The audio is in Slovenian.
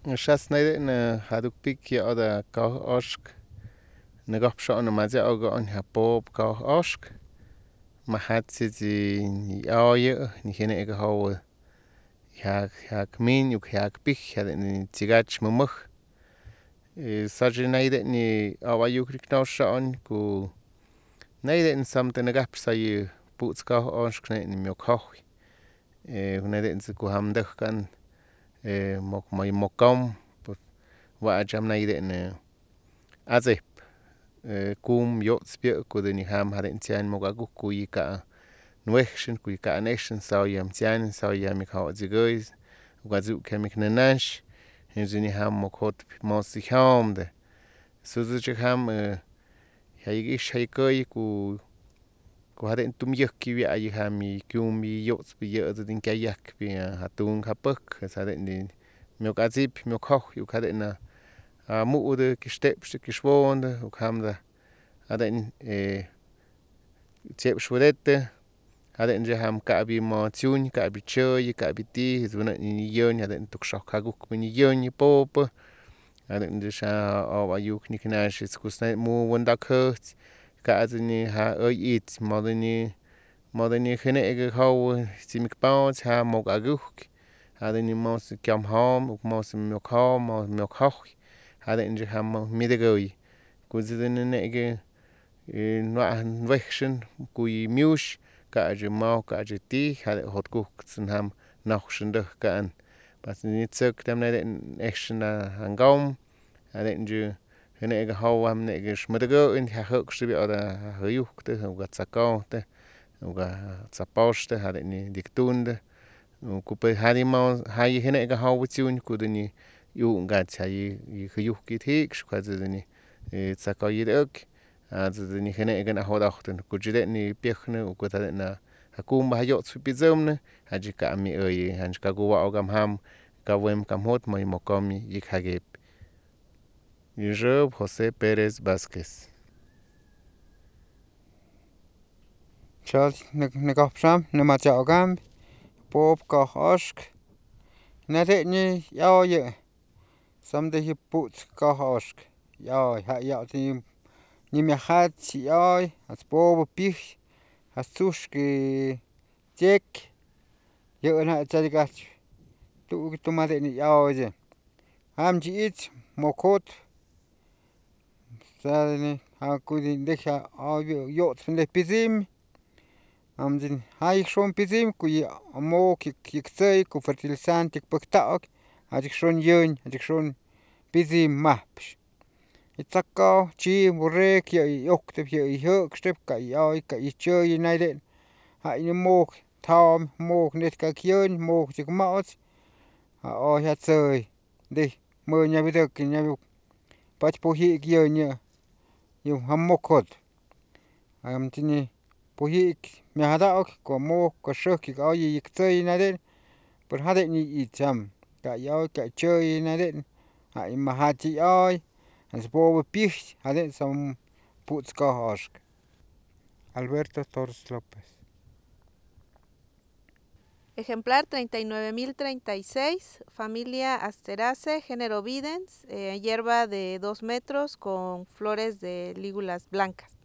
Shas naide na haduk pik ya oda kau oshk. Nagop sho na mazia oga on ha pop kau oshk. Mahatsi zi ni aoye ni hene ega hawa. Hak min yuk hak pik hade ni tigach mumuk. Saji naide ni awa yuk riknau sho on ku naide ni samte nagap sa yu puts kau oshk na ni miok hohi. Naide ni ku hamduk kan mok may mokom. Wa jam naide ni azip. Kum yots pio kudu ni ham hade tian mogaguk ku yika nuekshin ku yika anekshin sao yam tian sao yam ik hawa zigoiz. Wazuk kemik nanash. Hinzu ni ham mokot mosi haumde. Suzu chik ham hayigish hayikoy ku hade tum yuk kiwi ayi ham yi kum yi yots pi yots din kayak pi hatung hapuk. Hade ni miok azip miok hoch yuk hade na mu'ude kistepste kishwonde uk hamda hade ni tiep shwedete hade ni ham kaabi mo tiun kaabi choy kaabi ti zuna ni yon hade tuk shok haguk ni yon pop hade ni sha awa yuk ni knash skusna mu wondak hurt kaazi ni ha it modeni hene ege haw simik paus ha mog aguk hade ni mos kyam ham uk mos miok ham miok hoch hade ni ham midegoy kuzine nege nwa wekshin kuy miush kaaji mau kaaji ti hade hot kuk tsin ham nachshinde kan pas ni tsuk dem nede ekshna hangam hade ni hene ege haw ham nege shmedego in ha hok shbi oda hayukte uga tsakaute uga tsaposhte hade ni diktunde kupe hadi mau hayi hene ege haw tiun kuduni yu ngat hayi hayuk kit hik kwazi ni tsakayidok ni hene ege na hodachten kujide ni piechne ukutade na hakum hayots pizomne hajika mi oye hanjka guwa ogam ham kawem kamhot moy mokomi yik hagep Job Jose Perez Vázquez Chal negapsham nemacha ogam pop ka oshk nade ni yaoye samde hi puts ka oshk yaoy ha yaoy ni me hat yaoy as pop pich as tushki tek yo na chadigach tu made ni yaoye ham ji it mokot sani ha kudin deja ayo yot le pizim amjin hay shon pizim ku mo kiktsay ku fertilizante paktaok ajik shon yun ajik shon pizim mapsh itzaka chi burek ya yokte ya yok step ka yoy ka ichoy naide ha ni mok tham mok net ka kyun mok chik maot ha o ya tsoy de mo nya bidok nya pach po hi gyonya yu hamokot am tini pohik mi hadaok ko mo ko shok ka yi ktsoy naide por hade ni icham ka yoy ka choy naide ha imahati ay as po pich hade sam puts ka oshk Alberto Torres López Ejemplar 39.036, familia Asteraceae, género Videns, hierba de 2 metros con flores de lígulas blancas.